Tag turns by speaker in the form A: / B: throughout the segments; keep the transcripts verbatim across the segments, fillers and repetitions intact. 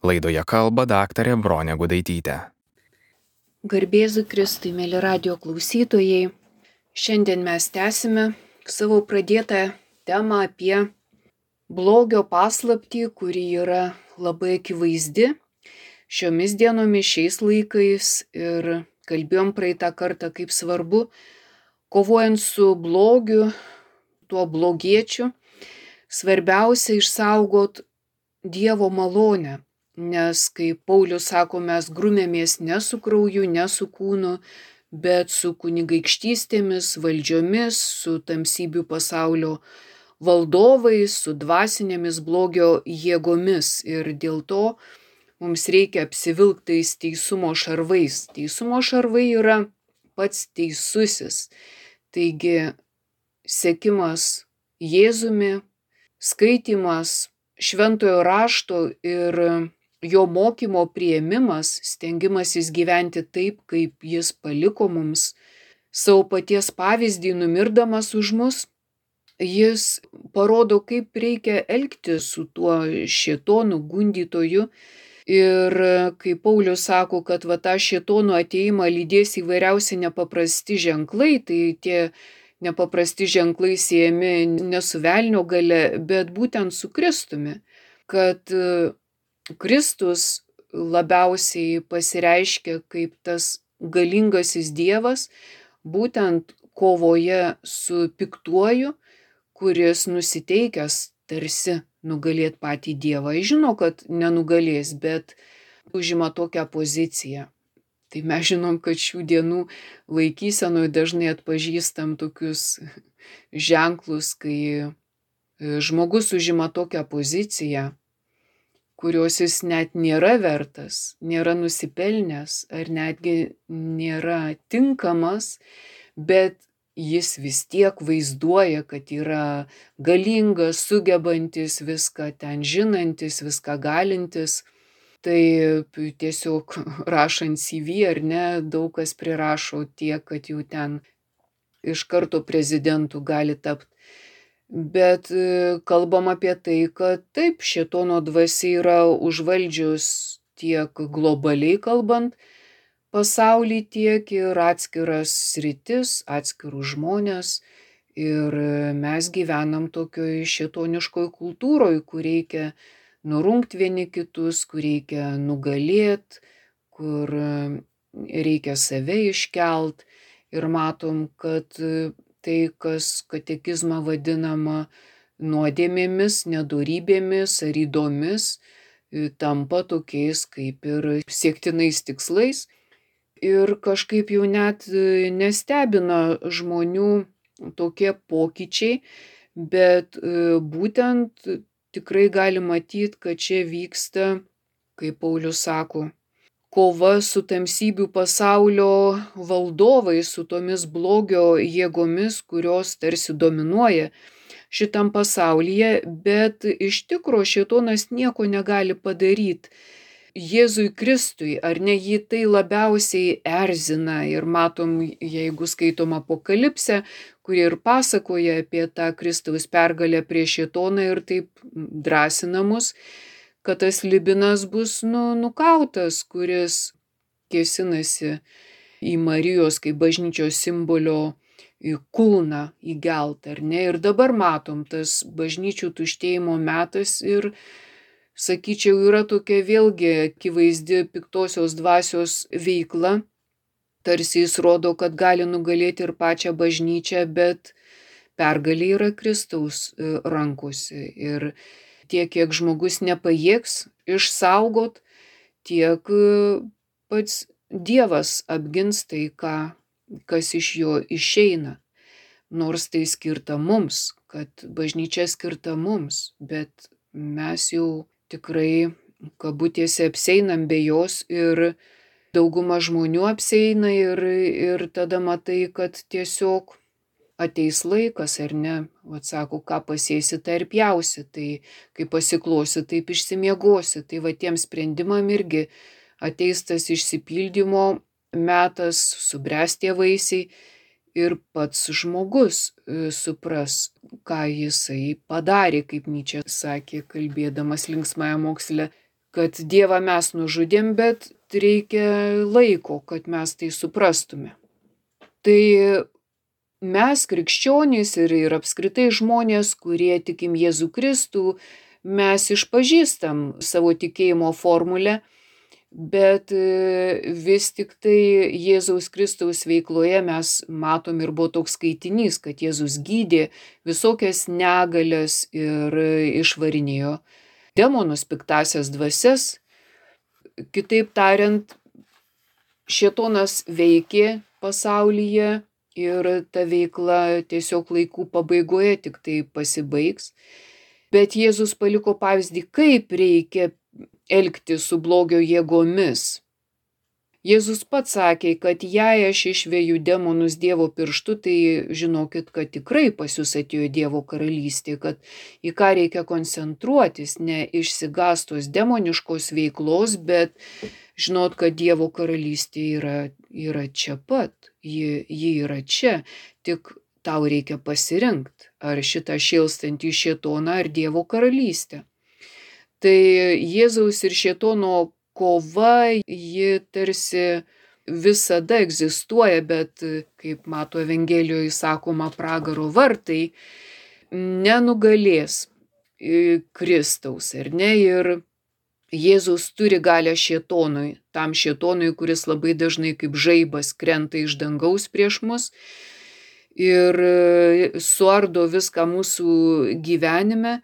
A: Laidoje kalba daktarė Bronė Gudaitytė.
B: Garbėzu Kristui, mėly radio klausytojai. Šiandien mes tęsime savo pradėtą temą apie blogio paslaptį, kuri yra labai akivaizdi šiomis dienomis, šiais laikais. Ir kalbėjom praeitą kartą, kaip svarbu, kovojant su blogiu, tuo blogiečiu, svarbiausia išsaugot Dievo malonę. Nes, kaip Paulius sako, mes grumėmės ne su krauju, ne su kūnu, bet su kunigaikštystėmis, valdžiomis, su tamsybių pasaulio valdovais, su dvasinėmis blogio jėgomis. Ir dėl to mums reikia apsivilktais teisumo šarvais. Teisumo šarvai yra pats teisusis. Taigi, sekimas Jėzumi, skaitymas šventojo rašto ir jo mokymo priėmimas, stengimasis gyventi taip, kaip jis paliko mums savo paties pavyzdį, numirdamas už mus. Jis parodo, kaip reikia elgtis su tuo šėtonu gundytoju. Ir kai Paulius sako, kad va tą šėtono ateimą lydės įvairiausi nepaprasti ženklai, tai tie nepaprasti ženklai siejami ne su velnio galia, bet būtent su Kristumi. Kad Kristus labiausiai pasireiškia kaip tas galingasis Dievas, būtent kovoje su piktuoju, kuris nusiteikęs tarsi nugalėt patį Dievą. Jis žino, kad nenugalės, bet užima tokią poziciją. Tai mes žinom, kad šių dienų laikysenoje dažnai atpažįstam tokius ženklus, kai žmogus užima tokią poziciją, kurios jis net nėra vertas, nėra nusipelnęs ar netgi nėra tinkamas, bet jis vis tiek vaizduoja, kad yra galingas, sugebantis, viską ten žinantis, viską galintis. Tai tiesiog rašant C V ar ne, daug kas prirašo tiek, kad jau ten iš karto prezidentu gali tapti. Bet kalbam apie tai, kad taip, šėtono dvasia yra užvaldžius tiek globaliai kalbant pasaulį, tiek ir atskiras sritis, atskirus žmonės. Ir mes gyvenam tokioj šėtoniškoj kultūroj, kur reikia nurungti vieni kitus, kur reikia nugalėti, kur reikia save iškelt. Ir matom, kad tai, kas katekizmą vadinama nuodėmėmis, nedorybėmis ar ydomis, tampa tokiais kaip ir siektinais tikslais. Ir kažkaip jau net nestebina žmonių tokie pokyčiai, bet būtent tikrai gali matyti, kad čia vyksta, kaip Paulius sako, kova su tamsybių pasaulio valdovais, su tomis blogio jėgomis, kurios tarsi dominuoja šitam pasaulyje, bet iš tikro šėtonas nieko negali padaryti Jėzui Kristui, ar ne, jį tai labiausiai erzina. Ir matom, jeigu skaitom Apokalipsę, kuri ir pasakoja apie tą Kristaus pergalę prieš šėtoną ir taip drąsina mus, kad tas Libinas bus nu, nukautas, kuris kėsinasi į Marijos kaip bažnyčios simbolio kūną įgelt, ar ne. Ir dabar matom, tas bažnyčių tuštėjimo metas ir, sakyčiau, yra tokia vėlgi akivaizdi piktosios dvasios veikla. Tarsi jis rodo, kad gali nugalėti ir pačią bažnyčią, bet pergalė yra Kristaus rankose. Ir tiek, kiek žmogus nepajėgs išsaugot, tiek pats Dievas apgins tai, ką, kas iš jo išeina. Nors tai skirta mums, kad bažnyčia skirta mums, bet mes jau tikrai kabutėse apseinam be jos ir dauguma žmonių apseina ir, ir tada matai, kad tiesiog ateis laikas, ar ne, atsako, ką pasėsi, tai ir pjausi, tai kai pasiklosi, taip išsimiegosi. Tai va tiem sprendimam irgi ateis tas išsipildymo metas, subręs tie vaisiai ir pats žmogus supras, ką jisai padarė, kaip Nyčė sakė, kalbėdamas linksmąją moksle, kad Dievą mes nužudėm, bet reikia laiko, kad mes tai suprastume. Tai mes, krikščionys ir, ir apskritai žmonės, kurie tikim Jėzų Kristų, mes išpažįstam savo tikėjimo formulę, bet vis tik tai Jėzaus Kristaus veikloje mes matom ir buvo toks skaitinys, kad Jėzus gydė visokias negalias ir išvarinėjo demonus, piktąsias dvasias. Kitaip tariant, šėtonas veikė pasaulyje ir ta veikla tiesiog laikų pabaigoje tik tai pasibaigs. Bet Jėzus paliko pavyzdį, kaip reikia elgtis su blogio jėgomis. Jėzus pats sakė, kad jei aš išveju demonus Dievo pirštu, tai žinokit, kad tikrai pas jūs atėjo Dievo karalystė, kad į ką reikia koncentruotis, ne išsigąstos demoniškos veiklos, bet žinot, kad Dievo karalystė yra, yra čia pat, ji, ji yra čia, tik tau reikia pasirinkti, ar šitą šėlstantį šėtoną, ar Dievo karalystę. Tai Jėzaus ir šėtono kova, ji tarsi visada egzistuoja, bet, kaip mato Evangelijoje sakoma, pragaro vartai nenugalės Kristaus, ar ne? Ir Jėzus turi galią šėtonui, tam šėtonui, kuris labai dažnai kaip žaibas krenta iš dangaus prieš mus ir suardo viską mūsų gyvenime,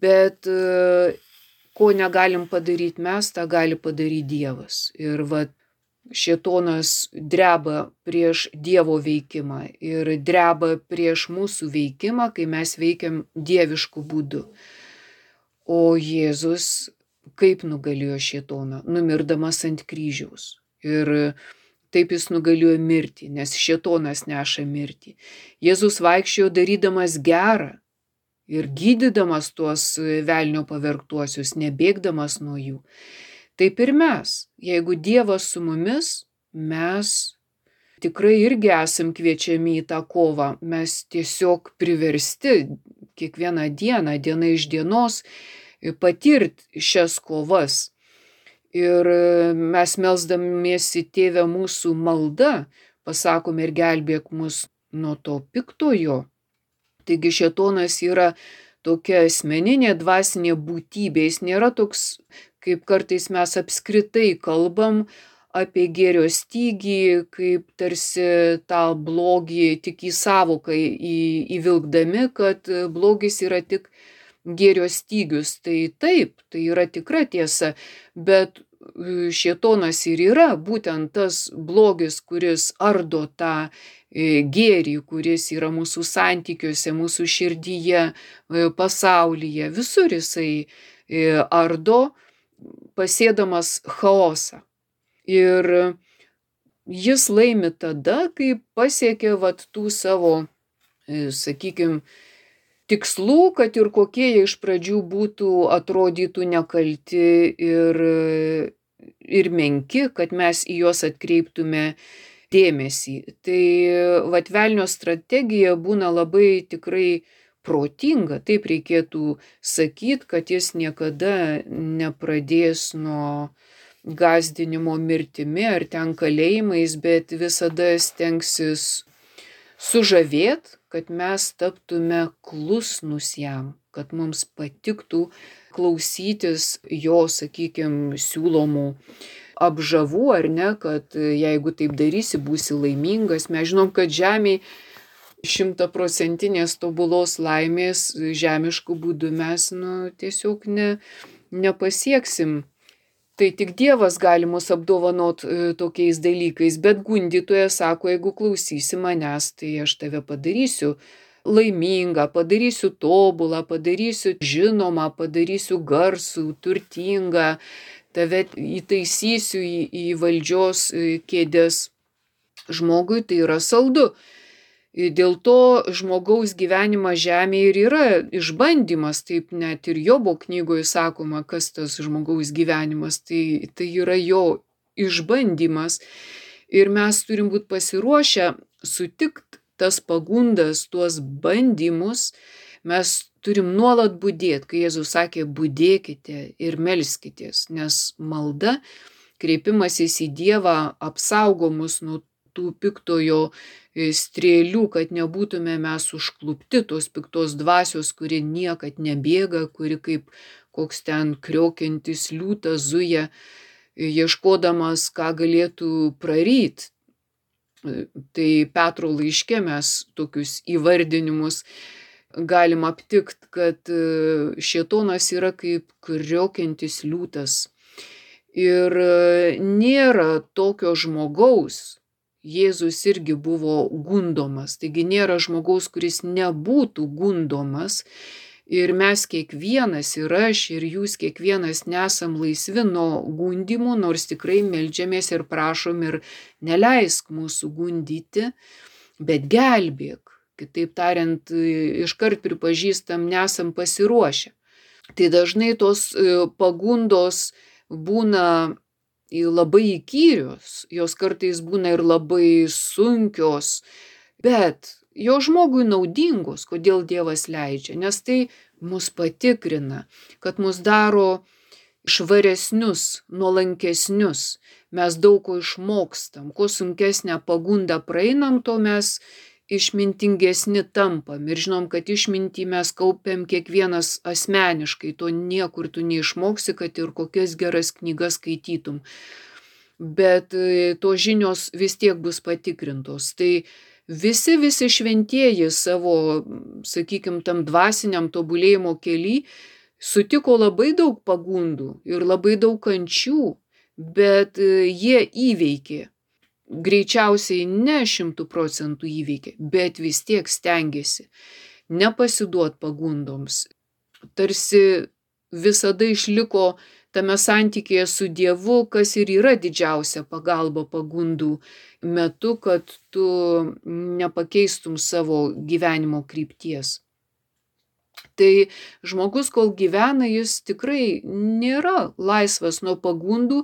B: bet ko negalim padaryti mes, tą gali padaryti Dievas. Ir va, šėtonas dreba prieš Dievo veikimą ir dreba prieš mūsų veikimą, kai mes veikiam dievišku būdu. O Jėzus kaip nugalėjo šėtoną? Numirdamas ant kryžiaus. Ir taip jis nugalėjo mirtį, nes šėtonas neša mirtį. Jėzus vaikščiojo darydamas gerą ir gydydamas tuos velnio pavergtuosius, nebėgdamas nuo jų. Taip ir mes, jeigu Dievas su mumis, mes tikrai irgi esam kviečiami į tą kovą. Mes tiesiog priversti kiekvieną dieną, diena iš dienos, patirti šias kovas. Ir mes melsdamiesi Tėve mūsų malda, pasakome ir gelbėk mus nuo to piktojo. Taigi šėtonas yra tokia asmeninė dvasinė būtybė, jis nėra toks, kaip kartais mes apskritai kalbam apie gėrio stygį, kaip tarsi tą blogį tik į savoką įvilkdami, kad blogis yra tik gėrio stygius. Tai taip, tai yra tikra tiesa, bet šėtonas ir yra būtent tas blogis, kuris ardo tą gėrį, kuris yra mūsų santykiuose, mūsų širdyje, pasaulyje. Visur jisai ardo, pasėdamas chaosą. Ir jis laimi tada, kai pasiekia vat tų savo, sakykime, tikslų, kad ir kokie jie iš pradžių būtų, atrodytų nekalti ir, ir menki, kad mes į juos atkreiptume dėmesį. Tai vat velnio strategija būna labai tikrai protinga, taip reikėtų sakyti, kad jis niekada nepradės nuo gąsdinimo mirtimi ar ten kalėjimais, bet visada stengsis sužavėt, kad mes taptume klusnus jam, kad mums patiktų klausytis jo, sakykime, siūlomų apžavų, ar ne, kad jeigu taip darysi, būsi laimingas. Mes žinom, kad žemėj šimtaprocentinės tobulos laimės žemiškų būdų mes nu, tiesiog ne, nepasieksim. Tai tik Dievas gali mus apdovanot tokiais dalykais, bet gundytojas sako, jeigu klausysi manęs, tai aš tave padarysiu laimingą, padarysiu tobulą, padarysiu žinomą, padarysiu garsų, turtingą, tave įtaisysiu į, į valdžios kėdes. Žmogui tai yra saldu. Dėl to žmogaus gyvenimas žemėje ir yra išbandymas, taip net ir Jobo knygoje sakoma, kas tas žmogaus gyvenimas, tai, tai yra jo išbandymas. Ir mes turim būti pasiruošę sutikti tas pagundas, tuos bandymus, mes turim nuolat budėti, kai Jėzus sakė, budėkite ir melskitės, nes malda, kreipimasis į Dievą apsaugo mus nuo tų piktojo strėlių, kad nebūtume mes užklupti tos piktos dvasios, kuri niekad nebėga, kuri kaip koks ten kriokiantis liūtas zuja, ieškodamas, ką galėtų praryt. Tai Petro laiške mes tokius įvardinimus galim aptikti, kad šėtonas yra kaip kriokiantis liūtas. Ir nėra tokio žmogaus, Jėzus irgi buvo gundomas, taigi nėra žmogaus, kuris nebūtų gundomas. Ir mes kiekvienas, ir aš, ir jūs kiekvienas nesam laisvi nuo gundimų, nors tikrai meldžiamės ir prašom ir neleisk mūsų gundyti, bet gelbėk. Kitaip tariant, iškart pripažįstam, nesam pasiruošę. Tai dažnai tos pagundos būna labai įkyrios, jos kartais būna ir labai sunkios, bet jo žmogui naudingos, kodėl Dievas leidžia, nes tai mus patikrina, kad mus daro švaresnius, nuolankesnius, mes daug ko išmokstam, kuo sunkesnę pagundą praeinam, to mes išmintingesni tampam ir žinom, kad išmintį mes kaupiam kiekvienas asmeniškai, to niekur tu neišmoksi, kad ir kokias geras knygas skaitytum, bet tos žinios vis tiek bus patikrintos. Tai visi, visi šventieji savo, sakykim, tam dvasiniam tobulėjimo kely sutiko labai daug pagundų ir labai daug kančių, bet jie įveikė. Greičiausiai ne šimtų procentų įveikė, bet vis tiek stengiasi nepasiduot pagundoms. Tarsi visada išliko tame santykėje su Dievu, kas ir yra didžiausia pagalba pagundų metu, kad tu nepakeistum savo gyvenimo krypties. Tai žmogus, kol gyvena, jis tikrai nėra laisvas nuo pagundų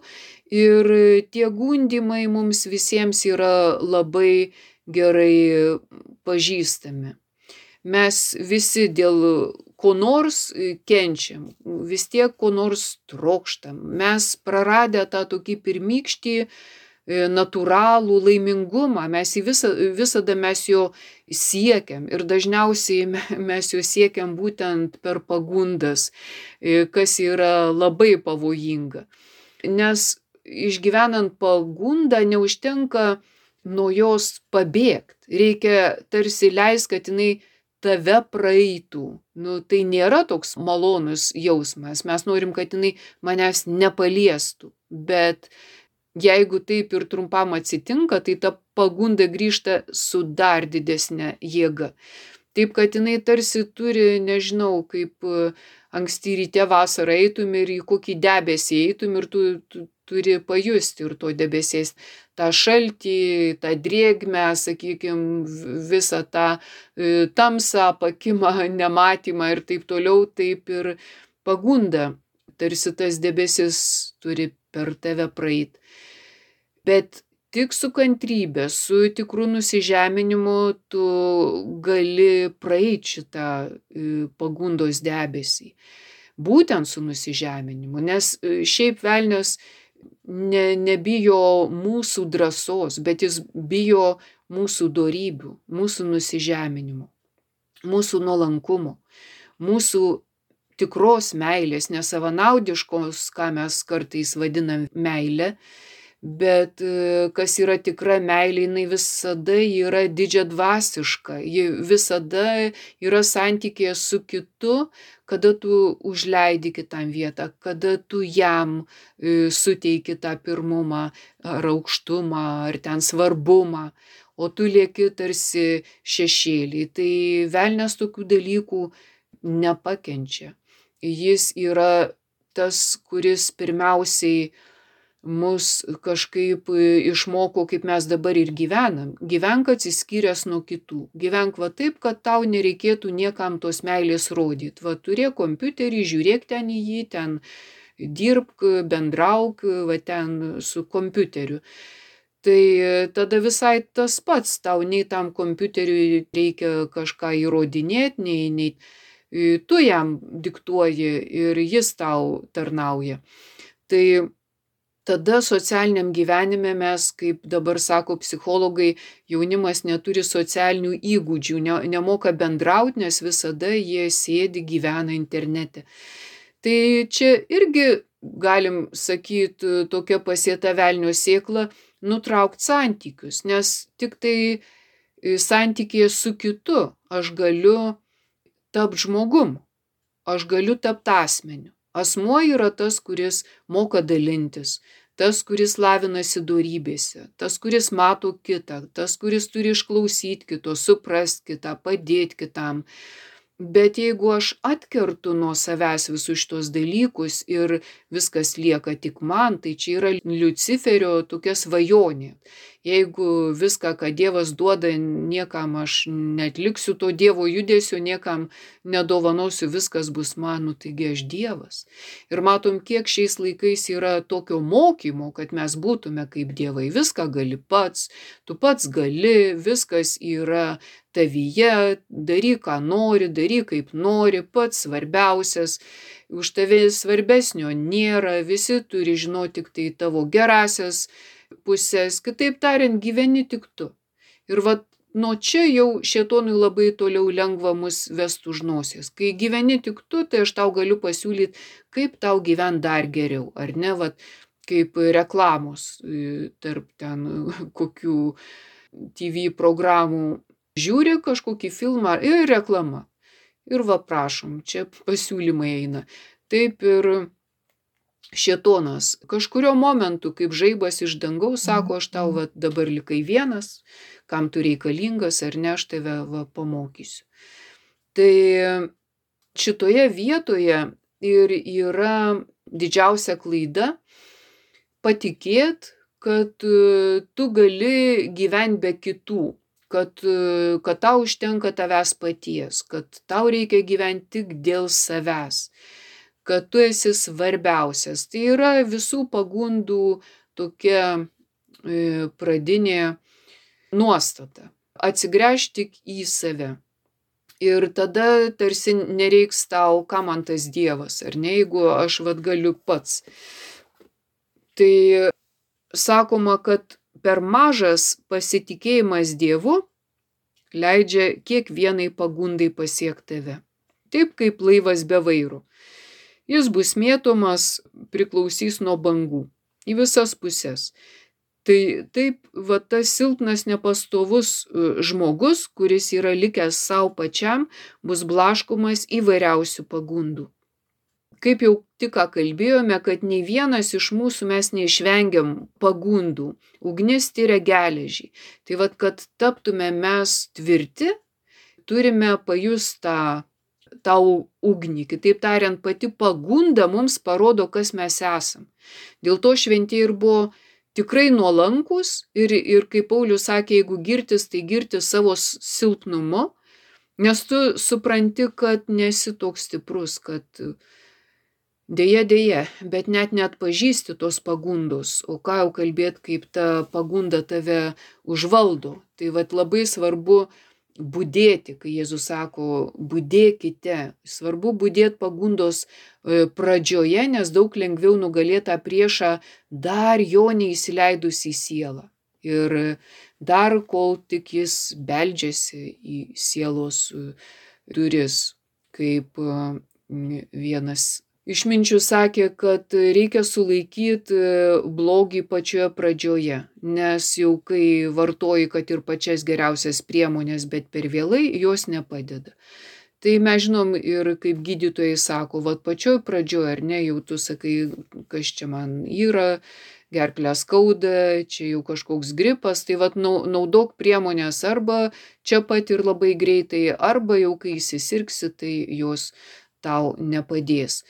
B: ir tie gundimai mums visiems yra labai gerai pažįstami. Mes visi dėl ko nors kenčiam, vis tiek ko nors trokštam. Mes praradę tą tokį pirmykštį natūralų laimingumą, mes į visą, visada mes jo siekiam ir dažniausiai mes jo siekiam būtent per pagundas, kas yra labai pavojinga. Nes išgyvenant pagundą neužtenka nuo jos pabėgti, reikia tarsi leist, kad jinai tave praeitų. Nu, tai nėra toks malonus jausmas, mes norim, kad jinai manęs nepaliestų, bet jeigu taip ir trumpam atsitinka, tai ta pagunda grįžta su dar didesnė jėga. Taip, kad jinai tarsi turi, nežinau, kaip anksti ryte vasarą eitum ir į kokį debesį eitum ir tu, tu turi pajusti ir to debesiais tą šaltį, tą drėgmę, sakykime, visą tą tamsą, pakimą, nematymą ir taip toliau, taip ir pagunda. Tarsi tas debesis turi per tave praeit. Bet tik su kantrybė, su tikru nusižeminimu tu gali praeit šitą pagundos debesį. Būtent su nusižeminimu, nes šiaip velnias ne, nebijo mūsų drąsos, bet jis bijo mūsų dorybių, mūsų nusižeminimo, mūsų nuolankumo, mūsų tikros meilės, nesavanaudiškos, ką mes kartais vadinam meilė, bet kas yra tikra meilė, jinai visada yra didžiadvasiška, ji visada yra santykėje su kitu, kada tu užleidi kitam vietą, kada tu jam suteiki tą pirmumą ar aukštumą, ar ten svarbumą, o tu lieki tarsi šešėlį. Tai velnias tokių dalykų nepakenčia. Jis yra tas, kuris pirmiausiai mus kažkaip išmoko, kaip mes dabar ir gyvenam. Gyvenk atsiskyręs nuo kitų. Gyvenk va taip, kad tau nereikėtų niekam tos meilės rodyti. Va turėk kompiuterį, žiūrėk ten į jį, ten dirbk, bendrauk, va ten su kompiuteriu. Tai tada visai tas pats, tau nei tam kompiuteriui reikia kažką įrodinėti, nei, nei tu jam diktuoji ir jis tau tarnauja. Tai tada socialiniam gyvenime mes, kaip dabar sako psichologai, jaunimas neturi socialinių įgūdžių, ne, nemoka bendrauti, nes visada jie sėdi, gyvena internete. Tai čia irgi, galim sakyti, tokia pasėta velnio sėkla, nutraukti santykius, nes tik tai santykėje su kitu aš galiu tapti žmogum, aš galiu tapti asmeniu. Asmuo yra tas, kuris moka dalintis, tas, kuris lavinasi dorybėse, tas, kuris mato kitą, tas, kuris turi išklausyti kito, suprasti kitą, padėti kitam. Bet jeigu aš atkertu nuo savęs visus šitos dalykus ir viskas lieka tik man, tai čia yra Liuciferio tokia svajonė. Jeigu viską, ką Dievas duoda, niekam aš netliksiu to Dievo judesio, niekam nedovanosiu, viskas bus man, nu taigi aš Dievas. Ir matom, kiek šiais laikais yra tokio mokymo, kad mes būtume kaip dievai. Viską gali pats, tu pats gali, viskas yra tavyje, daryk, ką nori, daryk, kaip nori, pats svarbiausias, už tave svarbesnio nėra, visi turi žinoti tik tai tavo gerasias pusės, kitaip tariant, gyveni tik tu. Ir vat nuo čia jau šėtonui labai toliau lengva mus vest už nosies. Kai gyveni tik tu, tai aš tau galiu pasiūlyti, kaip tau gyventi dar geriau, ar ne, vat kaip reklamos tarp ten kokių T V programų. Žiūri kažkokį filmą ir reklama. Ir va prašom, čia pasiūlymai eina. Taip ir šėtonas kažkurio momentu, kaip žaibas iš dangaus, sako, aš tau va, dabar likai vienas, kam tu reikalingas, ar ne, aš tave va, pamokysiu. Tai šitoje vietoje ir yra didžiausia klaida patikėt, kad tu gali gyventi be kitų. Kad, kad tau užtenka tavęs paties, kad tau reikia gyventi tik dėl savęs, kad tu esi svarbiausias. Tai yra visų pagundų tokia e, pradinė nuostata. Atsigręžti tik į save. Ir tada tarsi nereiks tau, ką man tas Dievas, ar ne, jeigu aš vat galiu pats. Tai sakoma, kad per mažas pasitikėjimas Dievu leidžia kiekvienai pagundai pasiekti tave. Taip kaip laivas be vairo. Jis bus mėtomas, priklausys nuo bangų į visas puses. Tai taip, va tas silpnas, nepastovus žmogus, kuris yra likęs savo pačiam, bus blaškomas įvairiausių pagundų. Kaip jau tik ką kalbėjome, kad nei vienas iš mūsų mes neišvengiam pagundų. Ugnis tyria geležį. Tai vat, kad taptume mes tvirti, turime pajusti tą, tą ugnį. Kitaip tariant, pati pagunda mums parodo, kas mes esam. Dėl to šventieji ir buvo tikrai nuolankus ir, ir kaip Paulius sakė, jeigu girtis, tai girtis savo silpnumu, nes tu supranti, kad nesi toks stiprus, kad Deja, deja, bet net neatpažįsti tos pagundos, o ką jau kalbėt, kaip ta pagunda tave užvaldo. Tai vat labai svarbu budėti, kai Jėzus sako, budėkite. Svarbu budėti pagundos pradžioje, nes daug lengviau nugalėti tą priešą dar jo neįsileidus į sielą. Ir dar kol tik jis beldžiasi į sielos duris, kaip vienas išminčių sakė, kad reikia sulaikyti blogį pačioje pradžioje, nes jau kai vartoji, kad ir pačias geriausias priemonės, bet per vėlai, jos nepadeda. Tai mes žinom ir kaip gydytojai sako, vat pačioj pradžioje, ar ne, jau tu sakai, kas čia man yra, gerklę skauda, čia jau kažkoks gripas, tai vat naudok priemonės arba čia pat ir labai greitai, arba jau kai įsisirgsi, tai jos tau nepadės.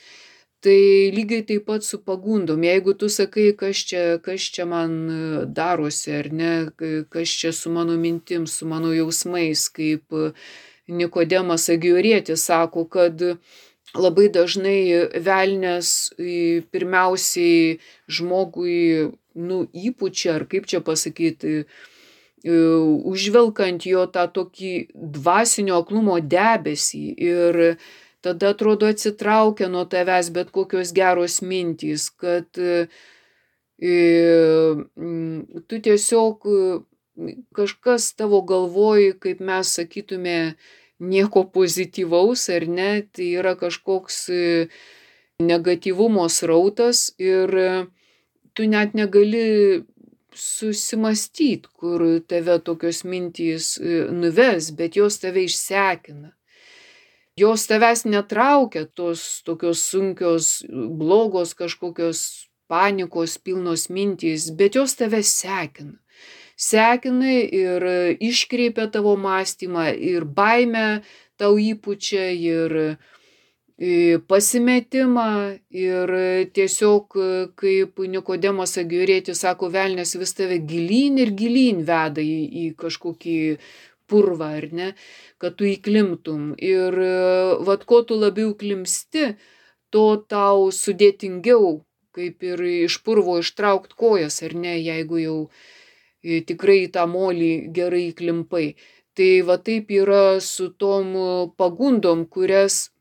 B: Tai lygiai taip pat su pagundom. Jeigu tu sakai, kas čia, kas čia man darosi, ar ne, kas čia su mano mintim, su mano jausmais, kaip Nikodemas Agiorietis sako, kad labai dažnai velnias pirmiausiai žmogui, nu, įpučia, ar kaip čia pasakyti, užvelkant jo tą tokį dvasinio aklumo debesį ir tada atrodo atsitraukia nuo tavęs bet kokios geros mintys, kad e, mm, tu tiesiog e, kažkas tavo galvoj, kaip mes sakytume, nieko pozityvaus ar ne, tai yra kažkoks e, negatyvumo srautas ir e, tu net negali susimąstyt, kur tave tokios mintys e, nuves, bet jos tave išsekina. Jos tavęs netraukia, tos tokios sunkios, blogos kažkokios panikos pilnos mintys, bet jos tave sekina. Sekina ir iškreipia tavo mąstymą, ir baimę tau įpučia, ir pasimetimą, ir tiesiog kaip Nikodemas Agiorėtis sako, velnias vis tave gilyn ir gilyn veda į, į kažkokį purvą, ar ne, kad tu įklimtum. Ir vat ko tu labiau klimsti, to tau sudėtingiau, kaip ir iš purvo ištraukt kojas, ar ne, jeigu jau tikrai tą molį gerai įklimpai. Tai va taip yra su tom pagundom, kurias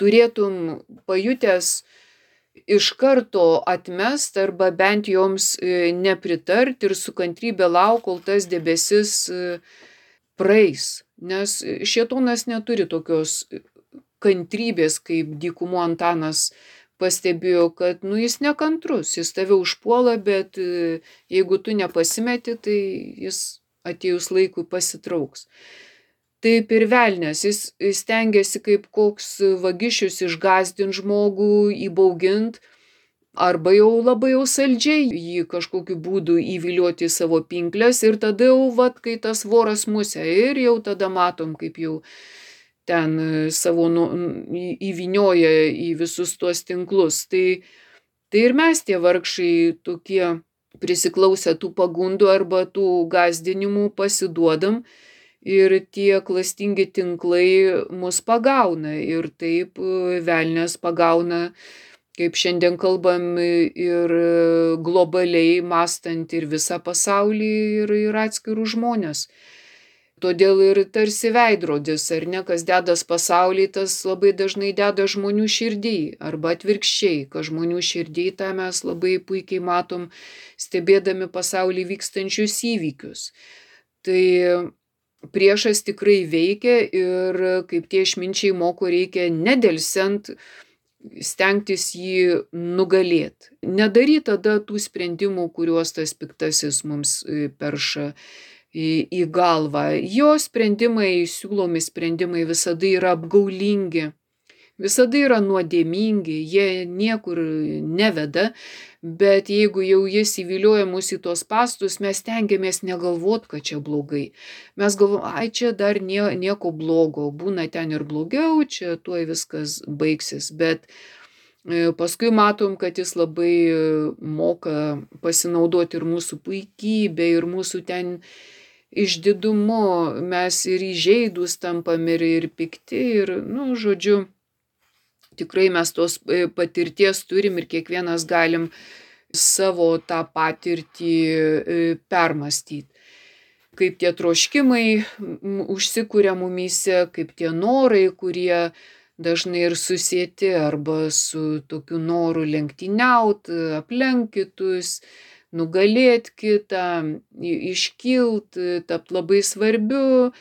B: turėtum pajutęs iš karto atmest arba bent joms nepritart ir su kantrybė lauk, kol tas debesis praeis. Nes šėtonas neturi tokios kantrybės, kaip dykumo Antanas pastebėjo, kad nu, jis nekantrus, jis tave užpuola, bet jeigu tu nepasimeti, tai jis atėjus laikui pasitrauks. Taip ir velnias, jis stengiasi kaip koks vagišius išgąsdint žmogų, įbaugint, arba jau labai jau saldžiai jį kažkokiu būdu įvilioti į savo pinkles ir tada jau, vat, kai tas voras musė, ir jau tada matom, kaip jau ten savo nu, įvinioja į visus tuos tinklus. Tai, tai ir mes tie vargšai tokie prisiklausę tų pagundų arba tų gąsdinimų pasiduodam, ir tie klastingi tinklai mus pagauna, ir taip velnias pagauna, kaip šiandien kalbam, ir globaliai mąstant ir visą pasaulį, ir, ir atskirų žmonės. Todėl ir tarsi veidrodis, ar ne, kas dedas pasauly, tas labai dažnai deda žmonių širdį, arba atvirkščiai, kad žmonių širdį tą mes labai puikiai matom, stebėdami pasaulį vykstančius įvykius. Tai priešas tikrai veikia ir kaip tie išminčiai moko, reikia nedelsiant stengtis jį nugalėti. Nedaryt tada tų sprendimų, kuriuos tas piktasis mums perša į, į galvą. Jo sprendimai, siūlomi sprendimai visada yra apgaulingi, visada yra nuodėmingi, jie niekur neveda, bet jeigu jau jis įvilioja mus į tos spąstus, mes stengiamės negalvot, kad čia blogai. Mes galvom, ai čia dar nie, nieko blogo, būna ten ir blogiau, čia tuoj viskas baigsis, bet paskui matom, kad jis labai moka pasinaudoti ir mūsų puikybę, ir mūsų ten išdidumu, mes ir įžeidus tampam, ir, ir pikti, ir, nu, žodžiu, tikrai mes tos patirties turim ir kiekvienas galim savo tą patirtį permastyti. Kaip tie troškimai užsikuria mumyse, kaip tie norai, kurie dažnai ir susieti arba su tokiu noru lenktyniaut, aplenkt kitus, nugalėt kitą, iškilt, tapt labai svarbiu.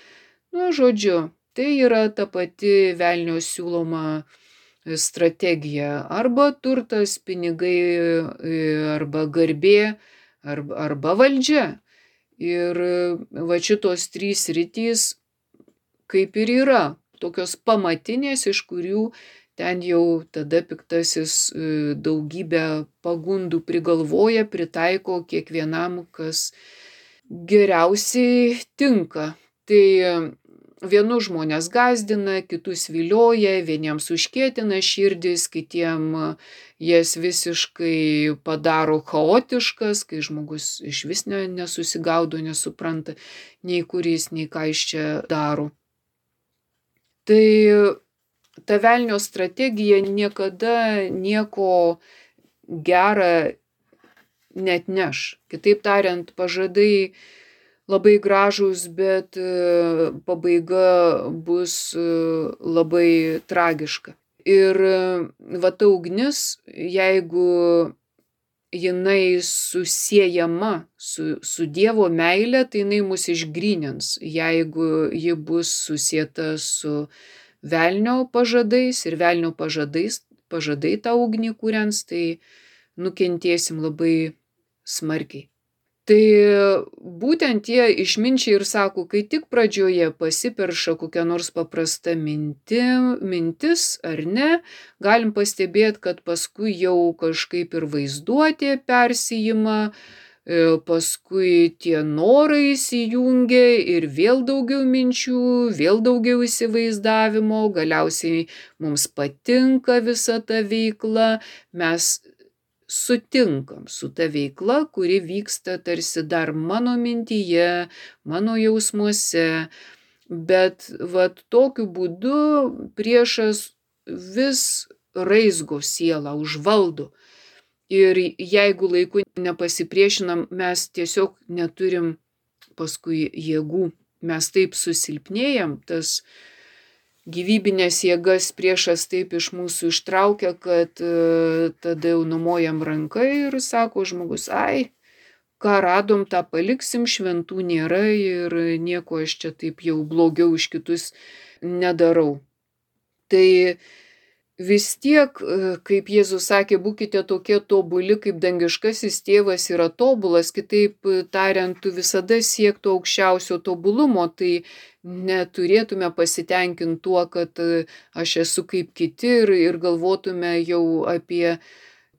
B: Nu, žodžiu, tai yra ta pati velnio siūloma strategija. Arba turtas, pinigai, arba garbė, arba, arba valdžia. Ir va šitos trys sritys kaip ir yra, tokios pamatinės, iš kurių ten jau tada piktasis daugybę pagundų prigalvoja, pritaiko kiekvienam, kas geriausiai tinka. Tai vienus žmonės gąsdina, kitus vilioja, vieniems užkietina širdis, kitiem jas visiškai padaro chaotiškas, kai žmogus iš vis nesusigaudo, nesupranta nei kuris, nei ką jis čia daro. Tai ta velnio strategija niekada nieko gerą neatneš. Kitaip tariant, pažadai labai gražūs, bet pabaiga bus labai tragiška. Ir va ta ugnis, jeigu jinai susiejama su, su Dievo meile, tai jinai mus išgrynins. Jeigu ji bus susieta su velnio pažadais ir velnio pažadais, pažadai tą ugnį kūrens, tai nukentėsim labai smarkiai. Tai būtent tie išminčiai ir sako, kai tik pradžioje pasiperša kokia nors paprasta minti, mintis ar ne, galim pastebėti, kad paskui jau kažkaip ir vaizduotė persijima, paskui tie norai įsijungia ir vėl daugiau minčių, vėl daugiau įsivaizdavimo, galiausiai mums patinka visa ta veikla, mes sutinkam su ta veikla, kuri vyksta tarsi dar mano mintyje, mano jausmuose, bet vat tokiu būdu priešas vis raizgo sielą, užvaldo. Ir jeigu laiku nepasipriešinam, mes tiesiog neturim paskui jėgų, mes taip susilpnėjam, tas gyvybinės jėgas priešas taip iš mūsų ištraukia, kad tada jau numojam ranką ir sako žmogus, ai, ką radom, tą paliksim, šventų nėra ir nieko aš čia taip jau blogiau už kitus nedarau. Tai vis tiek, kaip Jėzus sakė, būkite tokie tobuli, kaip dangiškasis tėvas yra tobulas, kitaip tariant, tu visada siek to aukščiausio tobulumo, tai neturėtume pasitenkinti tuo, kad aš esu kaip kiti ir, ir galvotume jau apie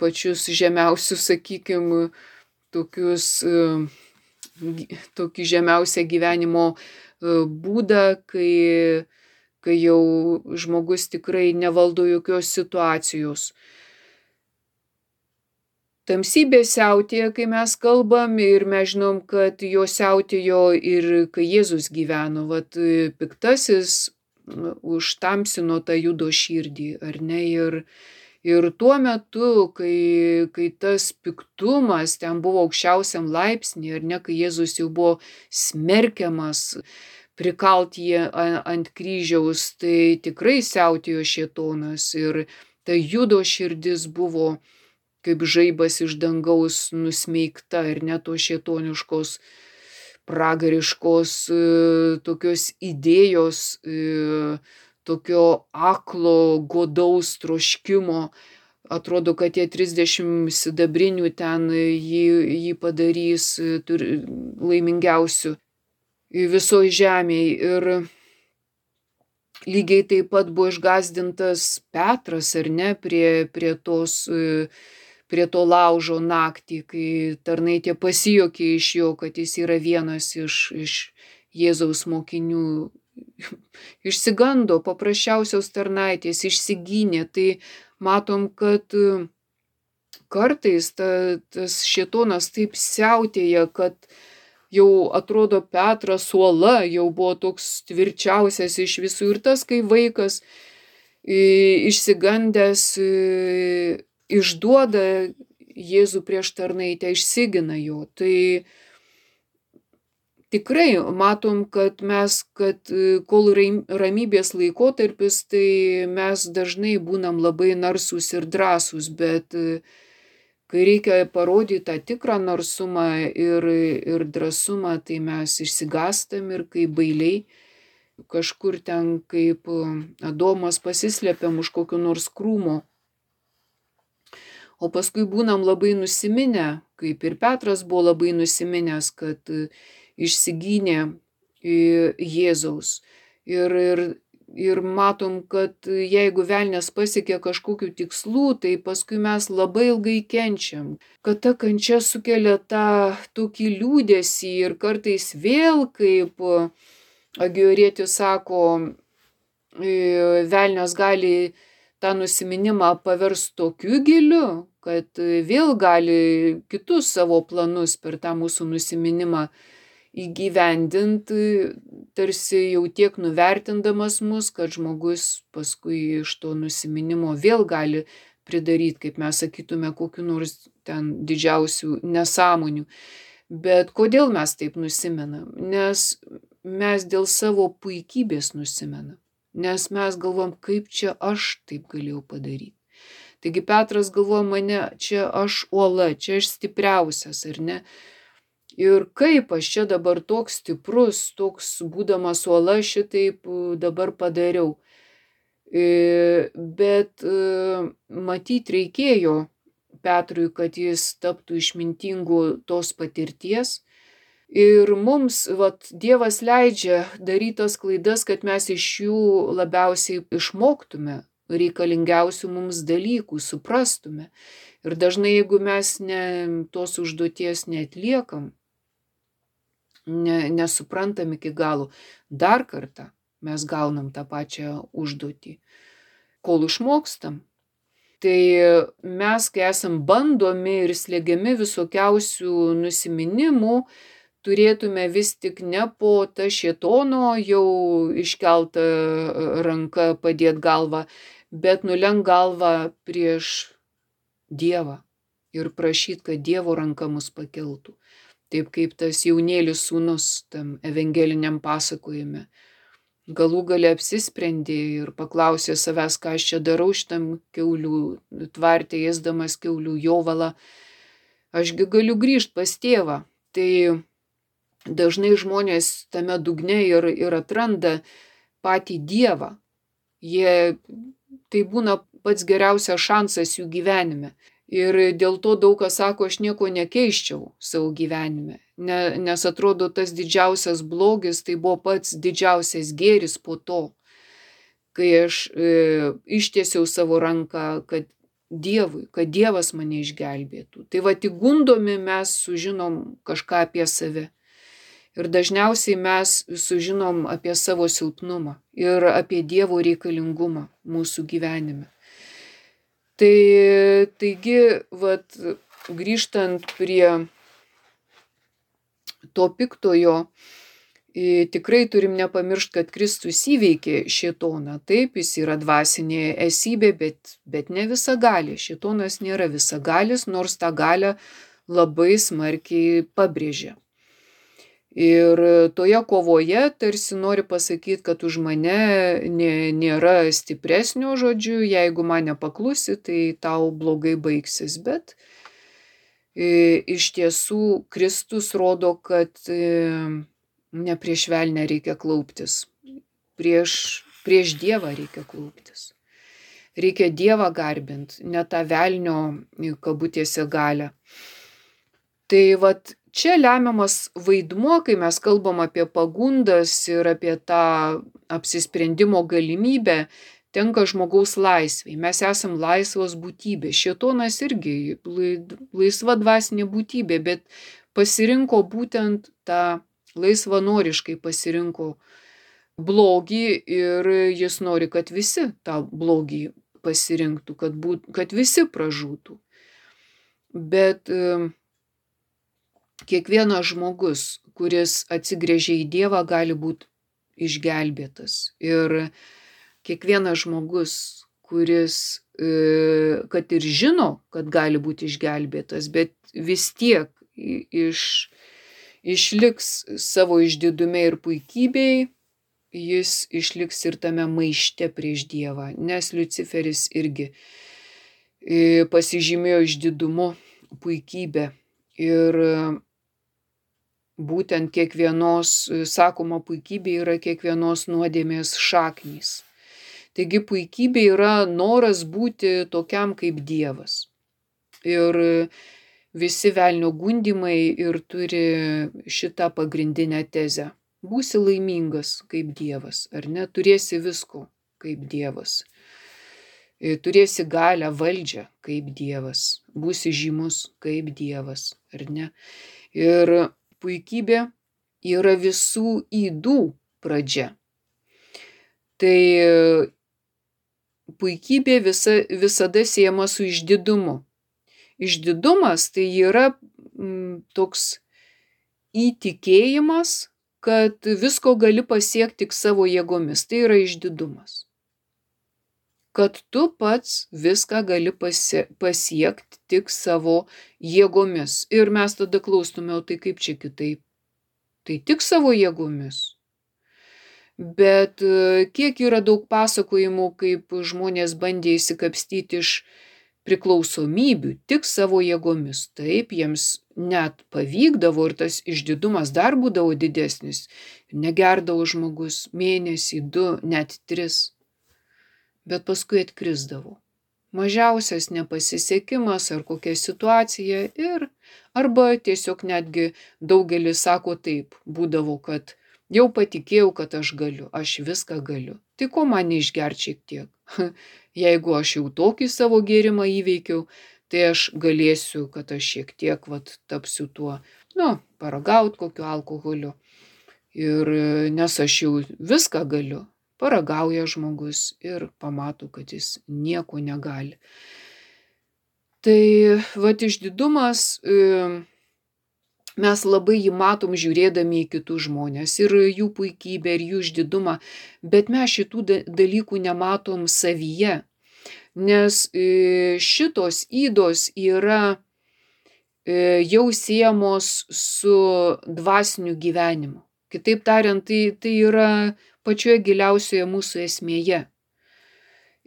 B: pačius žemiausius, sakykime, tokius, tokį žemiausią gyvenimo būdą, kai kai jau žmogus tikrai nevaldo jokios situacijos. Tamsybė siautėja, kai mes kalbam, ir mes žinom, kad jo siautėjo ir kai Jėzus gyveno. Vat piktasis užtamsino tą Judo širdį, ar ne? Ir, ir tuo metu, kai, kai tas piktumas ten buvo aukščiausiam laipsnį, ar ne, kai Jėzus jau buvo smerkiamas, prikalt jį ant kryžiaus, tai tikrai siautėjo šėtonas ir ta Judo širdis buvo kaip žaibas iš dangaus nusmeigta ir net to šėtoniškos, pragariškos tokios idėjos, tokio aklo, godaus troškimo. Atrodo, kad tie trisdešimt sidabrinių ten jį, jį padarys laimingiausiu visoje žemėje. Ir lygiai taip pat buvo išgąsdintas Petras, ar ne, prie, prie, tos, prie to laužo naktį, kai tarnaitė pasijuokė iš jo, kad jis yra vienas iš, iš Jėzaus mokinių. Išsigando paprasčiausios tarnaitės, išsigynė. Tai matom, kad kartais ta, tas šėtonas taip siautėja, kad jau atrodo Petras uola, jau buvo toks tvirčiausias iš visų. Ir tas, kai vaikas išsigandęs išduoda Jėzų prieš tarnaitę, išsigina jo. Tai tikrai matom, kad mes, kad kol ramybės laikotarpis, tai mes dažnai būnam labai narsūs ir drąsūs, bet kai reikia parodyti tą tikrą narsumą ir, ir drąsumą, tai mes išsigąstam ir kaip bailiai kažkur ten kaip Adomas pasislepiam už kokio nors krūmo. O paskui būnam labai nusiminę, kaip ir Petras buvo labai nusiminęs, kad išsigynė Jėzaus. Ir, ir Ir matom, kad jeigu velnias pasiekia kažkokių tikslų, tai paskui mes labai ilgai kenčiam. Kad ta kančia sukelia tą tokį liūdesį ir kartais vėl, kaip Agiorėtis sako, velnias gali tą nusiminimą paversti tokiu giliu, kad vėl gali kitus savo planus per tą mūsų nusiminimą įgyvendinti, tarsi jau tiek nuvertindamas mus, kad žmogus paskui iš to nusiminimo vėl gali pridaryti, kaip mes sakytume, kokiu nors ten didžiausių nesąmonių. Bet kodėl mes taip nusimenam? Nes mes dėl savo puikybės nusimenam. Nes mes galvom, kaip čia aš taip galėjau padaryti. Taigi Petras galvoja, mane čia aš uola, čia aš stipriausias, ar ne? Ir kaip aš čia dabar toks stiprus, toks būdamas uola šitaip dabar padariau. Bet matyt reikėjo Petrui, kad jis taptų išmintingu tos patirties. Ir mums, vat, Dievas leidžia daryti tas klaidas, kad mes iš jų labiausiai išmoktume reikalingiausių mums dalykų, suprastume. Ir dažnai, jeigu mes ne, tos užduoties neatliekam, ne, nesuprantam iki galo, dar kartą mes gaunam tą pačią užduotį, kol išmokstam. Tai mes, kai esam bandomi ir slėgiami visokiausių nusiminimų, turėtume vis tik ne po tą šėtono jau iškeltą ranką padėt galvą, bet nulenk galvą prieš Dievą ir prašyt, kad Dievo ranka mus pakeltų. Taip kaip tas jaunėlis sūnus tam evangeliniam pasakojime. Galų gale apsisprendė ir paklausė savęs, ką aš čia darau šitam kiaulių tvarte, ėsdamas kiaulių jovalą. Ašgi galiu grįžt pas tėvą. Tai dažnai žmonės tame dugne ir, ir atranda patį Dievą. Jie, tai būna pats geriausias šansas jų gyvenime. Ir dėl to daug kas sako, aš nieko nekeiščiau savo gyvenime. Ne, nes atrodo, tas didžiausias blogis, tai buvo pats didžiausias gėris po to, kai aš e, ištiesiau savo ranką, kad Dievui, kad Dievas mane išgelbėtų. Tai va, tik gundomi mes sužinom kažką apie save. Ir dažniausiai mes sužinom apie savo silpnumą ir apie Dievo reikalingumą mūsų gyvenime. Tai, taigi, vat, grįžtant prie to piktojo, tikrai turim nepamiršti, kad Kristus įveikė šėtoną. Taip, jis yra dvasinė esybė, bet, bet ne visagalė. Šėtonas nėra visagalis, nors tą galią labai smarkiai pabrėžia. Ir toje kovoje tarsi nori pasakyti, kad už mane nė, nėra stipresnio, žodžiu, jeigu man nepaklusi, tai tau blogai baigsis. Bet e, iš tiesų Kristus rodo, kad e, ne prieš velnę reikia klauptis, prieš, prieš Dievą reikia klauptis. Reikia Dievą garbint, ne tą velnio kabutėse galią. Tai vat, čia lemiamas vaidmuo, kai mes kalbam apie pagundas ir apie tą apsisprendimo galimybę, tenka žmogaus laisvei. Mes esam laisvos būtybės. Šėtonas irgi laisva dvasinė būtybė, bet pasirinko būtent tą laisvanoriškai pasirinko blogį ir jis nori, kad visi tą blogį pasirinktų, kad, būt, kad visi pražūtų. Bet kiekvienas žmogus, kuris atsigręžia į Dievą, gali būti išgelbėtas. Ir kiekvienas žmogus, kuris, kad ir žino, kad gali būti išgelbėtas, bet vis tiek iš, išliks savo išdidume ir puikybei, jis išliks ir tame maište prieš Dievą. Nes Liuciferis irgi pasižymėjo išdidumu, puikybę. Ir būtent kiekvienos, sakoma, puikybė yra kiekvienos nuodėmės šaknys. Taigi puikybė yra noras būti tokiam kaip Dievas. Ir visi velnio gundymai ir turi šitą pagrindinę tezę. Būsi laimingas kaip Dievas, ar ne? Turėsi visko kaip Dievas. Turėsi galią, valdžią kaip Dievas. Būsi žymus kaip Dievas, ar ne? Ir puikybė yra visų ydų pradžia. Tai puikybė visa, visada siejama su išdidumu. Išdidumas tai yra m, toks įtikėjimas, kad visko gali pasiekti tik savo jėgomis. Tai yra išdidumas. kad tu pats viską gali pasie, pasiekti tik savo jėgomis. Ir mes tada klaustume, o tai kaip čia kitaip? Tai tik savo jėgomis. Bet kiek yra daug pasakojimų, kaip žmonės bandė įsikapstyti iš priklausomybių tik savo jėgomis. Taip, jiems net pavykdavo ir tas išdidumas dar būdavo didesnis. Negerdavo žmogus mėnesį, du, net tris. Bet paskui atkrisdavo. Mažiausias nepasisekimas ar kokia situacija ir arba tiesiog netgi daugelis sako taip, būdavo, kad jau patikėjau, kad aš galiu, aš viską galiu. Tai ko man neišgert šiek tiek? Jeigu aš jau tokį savo gėrimą įveikiau, tai aš galėsiu, kad aš šiek tiek vat, tapsiu tuo, nu, paragaut kokiu alkoholiu. Ir nes aš jau viską galiu, paragauja žmogus ir pamato, kad jis nieko negali. Tai vat išdidumas, mes labai jį matom žiūrėdami į kitus žmonės ir jų puikybę ir jų išdidumą, bet mes šitų dalykų nematom savyje, nes šitos ydos yra jau siejamos su dvasiniu gyvenimu. Kitaip tariant, tai, tai yra pačioje giliausioje mūsų esmėje.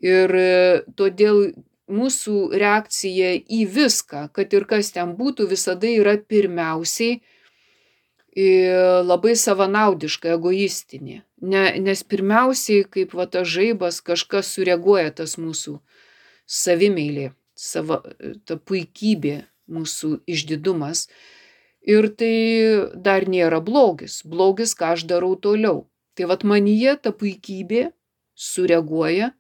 B: Ir todėl mūsų reakcija į viską, kad ir kas ten būtų, visada yra pirmiausiai labai savanaudiška, egoistinė. Ne, nes pirmiausiai, kaip va tas žaibas, kažkas sureaguoja tas mūsų savimeilė, sava, ta puikybė, mūsų išdidumas. Ir tai dar nėra blogis. Blogis, ką aš darau toliau. Tai vat manyje ta puikybė sureaguoja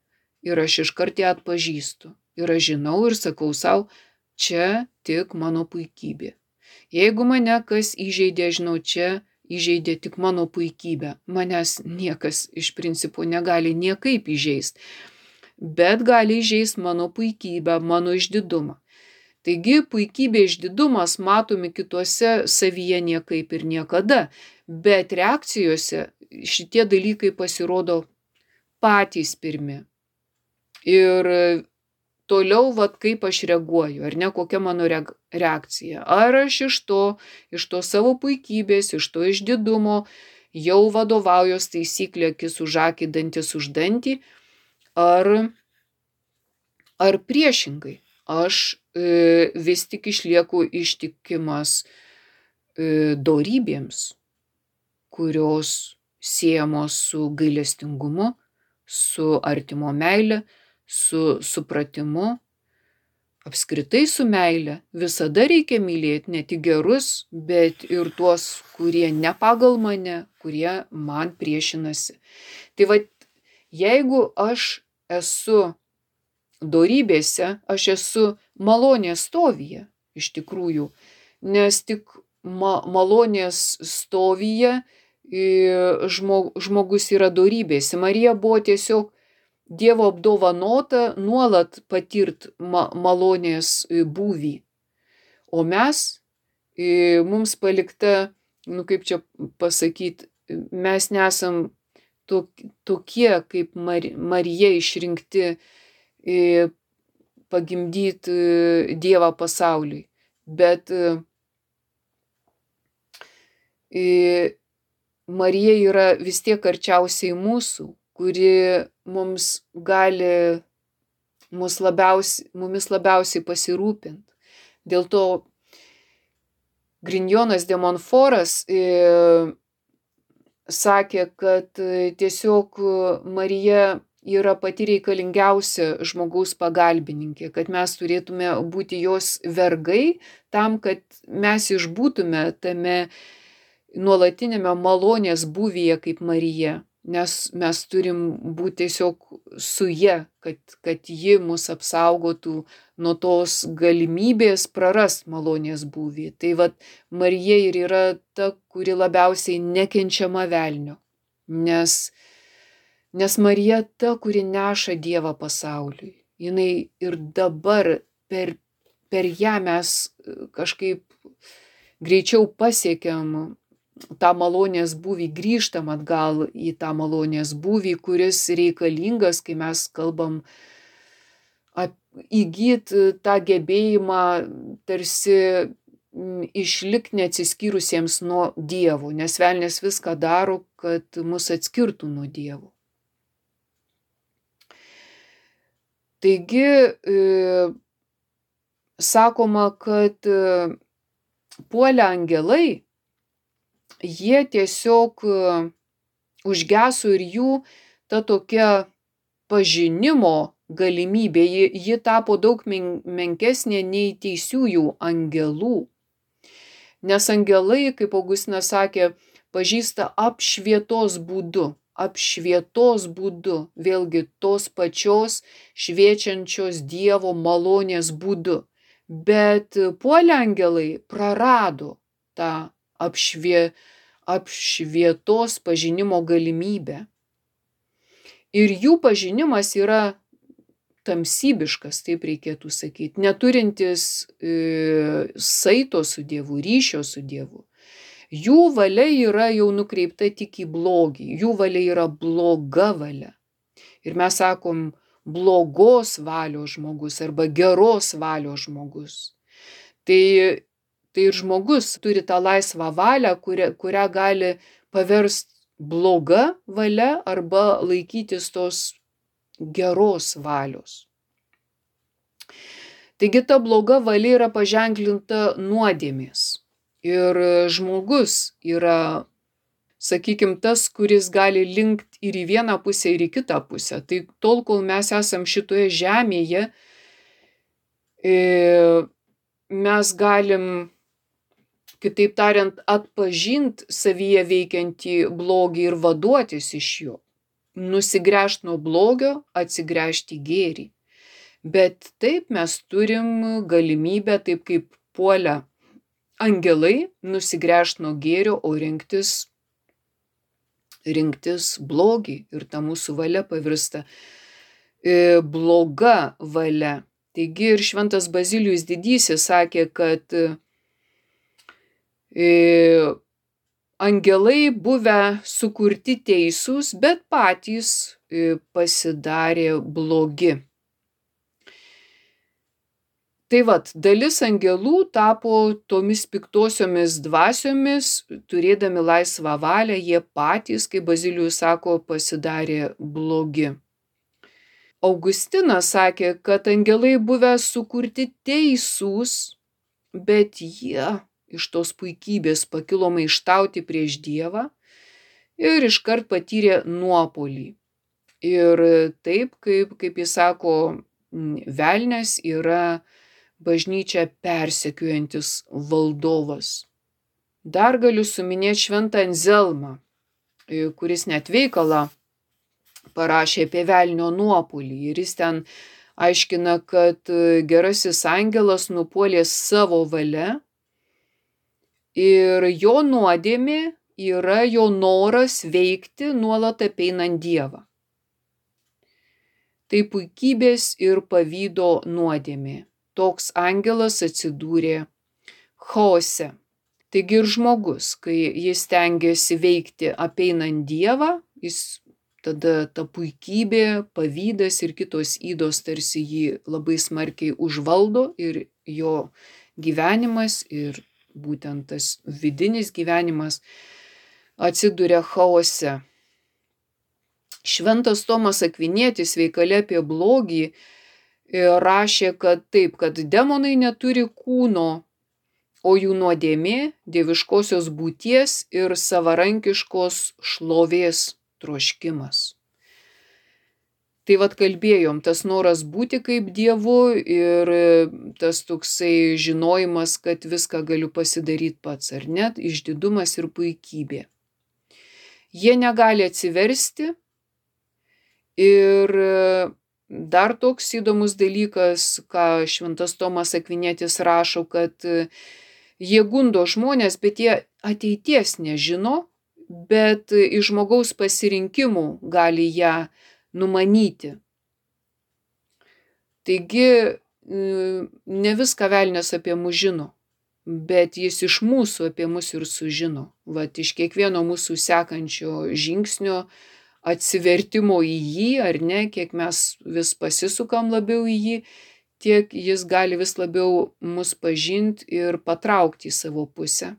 B: ir aš iškart ją atpažįstu. Ir aš žinau ir sakau sau, čia tik mano puikybė. Jeigu mane kas įžeidė, žinau, čia įžeidė tik mano puikybę. Manęs niekas iš principo negali niekaip įžeisti. Bet gali įžeisti mano puikybę, mano išdidumą. Taigi puikybė, išdidumas matomi kituose savyje niekaip ir niekada, bet reakcijose šitie dalykai pasirodo patys pirmi. Ir toliau, vat, kaip aš reaguoju, ar ne, kokia mano reakcija. Ar aš iš to, iš to savo puikybės, iš to išdidumo jau vadovaujos taisyklė akis už akį, dantis už dantį, ar, ar priešingai. Aš e, vis tik išlieku ištikimas e, dorybėms, kurios siejamos su gailestingumu, su artimo meile, su supratimu, apskritai su meile. Visada reikia mylėti ne tik gerus, bet ir tuos, kurie ne pagal mane, kurie man priešinasi. Tai va, jeigu aš esu dorybėse, aš esu malonės stovyje, iš tikrųjų, nes tik ma malonės stovyje žmogus yra dorybėse. Marija buvo tiesiog Dievo apdovanota nuolat patirt ma malonės būvį. O mes, mums palikta, nu kaip čia pasakyti, mes nesam tokie kaip Marija išrinkti pagimdyti Dievą pasauliui. Bet Marija yra vis tiek arčiausiai mūsų, kuri mums gali mus labiausiai, mumis labiausiai pasirūpinti. Dėl to Grignonas de Montfortas e, sakė, kad tiesiog Marija yra pati reikalingiausia žmogaus pagalbininkė, kad mes turėtume būti jos vergai tam, kad mes išbūtume tame nuolatinėme malonės būvyje kaip Marija, nes mes turim būti tiesiog su ja, kad, kad ji mus apsaugotų nuo tos galimybės prarast malonės būvį. Tai vat Marija ir yra ta, kuri labiausiai nekenčiama velnio, nes Nes Marija ta, kuri neša Dievą pasauliui. Jinai ir dabar per, per ją mes kažkaip greičiau pasiekiam tą malonės būvį, grįžtam atgal į tą malonės būvį, kuris reikalingas, kai mes kalbam įgyti tą gebėjimą tarsi išlikti neatsiskyrusiems nuo Dievo, nes velnias viską daro, kad mus atskirtų nuo Dievo. Taigi, e, sakoma, kad e, puolę angelai, jie tiesiog užgeso ir jų ta tokia pažinimo galimybė, ji, ji tapo daug men, menkesnė nei teisiųjų angelų. Nes angelai, kaip Augustinas sakė, pažįsta apšvietos būdu, apšvietos būdu, vėlgi tos pačios šviečiančios Dievo malonės būdu. Bet puolę angelai prarado tą apšvie, apšvietos pažinimo galimybę. Ir jų pažinimas yra tamsybiškas, taip reikėtų sakyti, neturintis e, saito su Dievu, ryšio su Dievu. Jų valia yra jau nukreipta tik į blogį, jų valia yra bloga valia. Ir mes sakom blogos valios žmogus arba geros valios žmogus. Tai Tai ir žmogus turi tą laisvą valią, kurią, kurią gali paversti bloga valia arba laikytis tos geros valios. Taigi ta bloga valia yra paženklinta nuodėmės. Ir žmogus yra, sakykime, tas, kuris gali linkti ir į vieną pusę, ir į kitą pusę. Tai tol, kol mes esam šitoje žemėje, mes galim, kitaip tariant, atpažinti savyje veikiantį blogį ir vaduotis iš jo. Nusigręžti nuo blogio, atsigręžti į gėrį. Bet taip mes turim galimybę, taip kaip puolę angelai, nusigręžti nuo gėrio, o rinktis, rinktis blogį. Ir ta mūsų valia pavirsta e, bloga valia. Taigi ir šventas Bazilijus Didysis sakė, kad angelai buvę sukurti teisūs, bet patys pasidarė blogi. Tai vat, dalis angelų tapo tomis piktosiomis dvasiomis, turėdami laisvą valią, jie patys, kaip Bazilijus sako, pasidarė blogi. Augustinas sakė, kad angelai buvę sukurti teisūs, bet jie iš tos puikybės pakilo maištauti prieš Dievą ir iškart patyrė nuopuolį. Ir taip, kaip, kaip jis sako, velnias yra bažnyčią persekiojantis valdovas. Dar galiu suminėti šventą Anzelmą, kuris net veikalą parašė apie velnio nuopuolį. Ir jis ten aiškina, kad gerasis angelas nupuolė savo valia, ir jo nuodėmė yra jo noras veikti nuolat apeinant Dievą. Tai puikybės ir pavydo nuodėmė. Toks angelas atsidūrė chaose. Taigi ir žmogus, kai jis stengiasi veikti apeinant Dievą, jis tada ta puikybė, pavydas ir kitos ydos tarsi jį labai smarkiai užvaldo ir jo gyvenimas ir būtent tas vidinis gyvenimas atsiduria chaose. Šventas Tomas Akvinietis veikale apie blogį rašė, kad taip, kad demonai neturi kūno, o jų nuodėmė dieviškosios būties ir savarankiškos šlovės troškimas. Tai vat kalbėjom, tas noras būti kaip Dievu ir tas toksai žinojimas, kad viską galiu pasidaryti pats, ar net išdidumas ir puikybė. Jie negali atsiversti ir dar toks įdomus dalykas, ką šventas Tomas Akvinietis rašo, kad jie gundo žmonės, bet jie ateities nežino, bet iš žmogaus pasirinkimų gali ją numanyti. Taigi ne viską velnias apie mus žino. bet jis iš mūsų apie mus ir sužino. Vat iš kiekvieno mūsų sekančio žingsnio atsivertimo į jį, ar ne, kiek mes vis pasisukam labiau į jį, tiek jis gali vis labiau mus pažinti ir patraukti į savo pusę.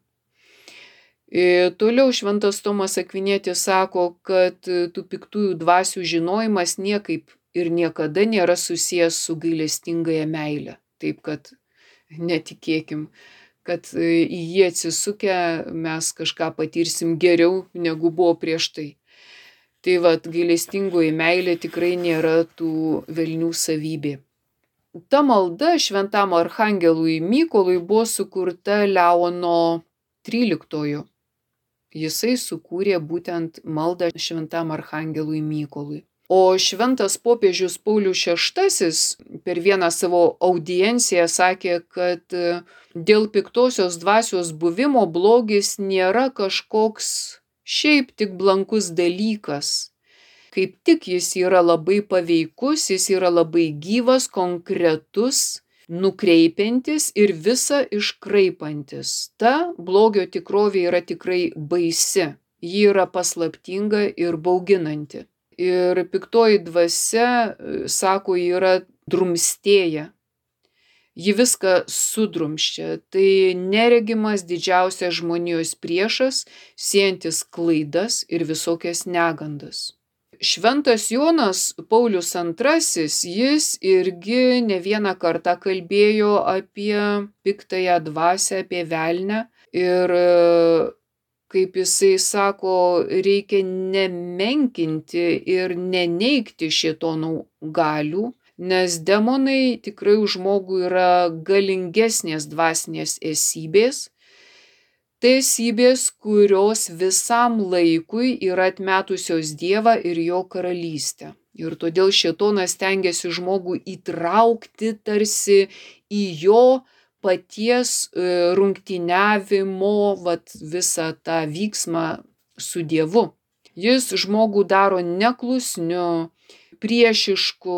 B: Ir toliau šventas Tomas Akvinietis sako, kad tų piktųjų dvasių žinojimas niekaip ir niekada nėra susijęs su gailestingąja meile. Taip kad netikėkim, kad į jį atsisukę mes kažką patirsim geriau negu buvo prieš tai. Tai vat, gailestingoji meilė tikrai nėra tų velnių savybė. Ta malda šventam archangelui Mykolui buvo sukurta Leono tryliktojo. Jisai sukūrė būtent maldą šventam archangelui Mykolui. O šventas popiežius Paulius šeštasis per vieną savo audienciją sakė, kad dėl piktosios dvasios buvimo blogis nėra kažkoks šiaip tik blankus dalykas. Kaip tik jis yra labai paveikus, jis yra labai gyvas, konkretus, nukreipiantis ir visa iškraipantis. Ta blogio tikrovė yra tikrai baisi. Ji yra paslaptinga ir bauginanti. Ir piktoji dvasia, sako, yra drumstėja. Ji viską sudrumščia. Tai neregimas didžiausias žmonijos priešas, siejantis klaidas ir visokias negandas. Šventas Jonas Paulius antrasis, jis irgi ne vieną kartą kalbėjo apie piktąją dvasią, apie velnę. Ir kaip jisai sako, reikia nemenkinti ir neneigti šėtono galių, nes demonai tikrai už žmogų yra galingesnės dvasinės esybės. Tai esybės, kurios visam laikui yra atmetusios Dievą ir jo karalystę. Ir todėl šėtonas stengiasi žmogų įtraukti tarsi į jo paties rungtyniavimo vat, visą tą vyksmą su Dievu. Jis žmogų daro neklusniu, priešišku,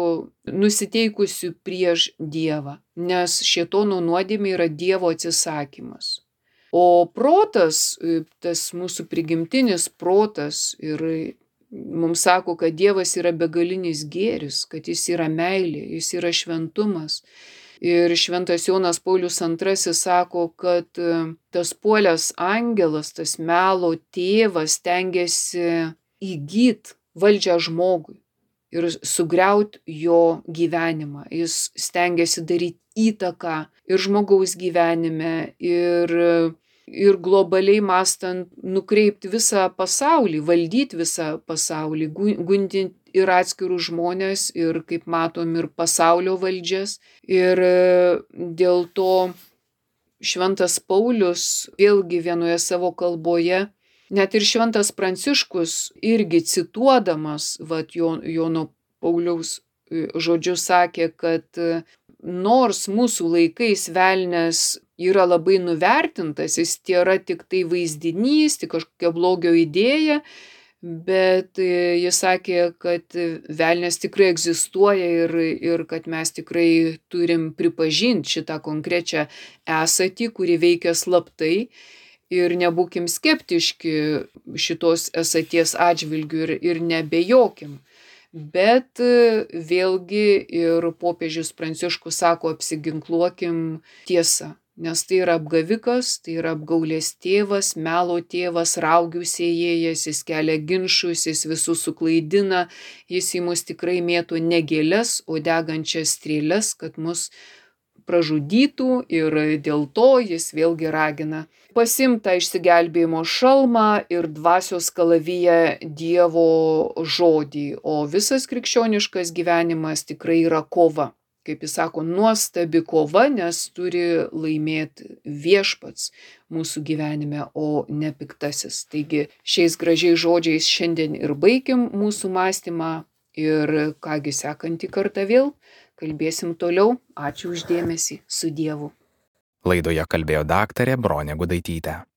B: nusiteikusiu prieš Dievą, nes šėtono nuodėmė yra Dievo atsisakymas. O protas, tas mūsų prigimtinis protas, ir mums sako, kad Dievas yra begalinis gėris, kad jis yra meilė, jis yra šventumas. Ir šventas Jonas Paulius antrasis sako, kad tas puolęs angelas, tas melo tėvas stengiasi įgyt valdžią žmogui ir sugriaut jo gyvenimą. Jis stengiasi daryti įtaką ir žmogaus gyvenime, ir, ir globaliai mąstant nukreipti visą pasaulį, valdyti visą pasaulį, gundinti ir atskirus žmonės, ir kaip matom, ir pasaulio valdžias. Ir dėl to šventas Paulius vėlgi vienoje savo kalboje, net ir šventas Pranciškus irgi cituodamas vat, Jono Pauliaus žodžius sakė, kad nors mūsų laikais velnias yra labai nuvertintas, jis tėra tik tai vaizdinys, tik kažkokia blogio idėja, bet jis sakė, kad velnias tikrai egzistuoja ir, ir kad mes tikrai turim pripažinti šitą konkrečią esatį, kuri veikia slaptai, ir nebūkim skeptiški šitos esaties atžvilgių ir, ir nebejokim. Bet vėlgi ir popiežius Pranciškus sako, apsiginkluokim tiesą, nes tai yra apgavikas, tai yra apgaulės tėvas, melo tėvas, raugių sėjėjas, jis kelia ginčus, jis visus suklaidina, jis į mus tikrai mėto ne gėles, o degančias strėles, kad mus pražudytų, ir dėl to jis vėlgi ragina pasiimti tą išsigelbėjimo šalmą ir dvasios kalaviją Dievo žodį, o visas krikščioniškas gyvenimas tikrai yra kova. Kaip jis sako, nuostabi kova, nes turi laimėti viešpats mūsų gyvenime, o ne piktasis. Taigi šiais gražiais žodžiais šiandien ir baikim mūsų mąstymą, ir kągi sekantį kartą vėl kalbėsim toliau. Ačiū už dėmesį. Su Dievu.
A: Laidoje kalbėjo daktarė Bronė Gudaitytė.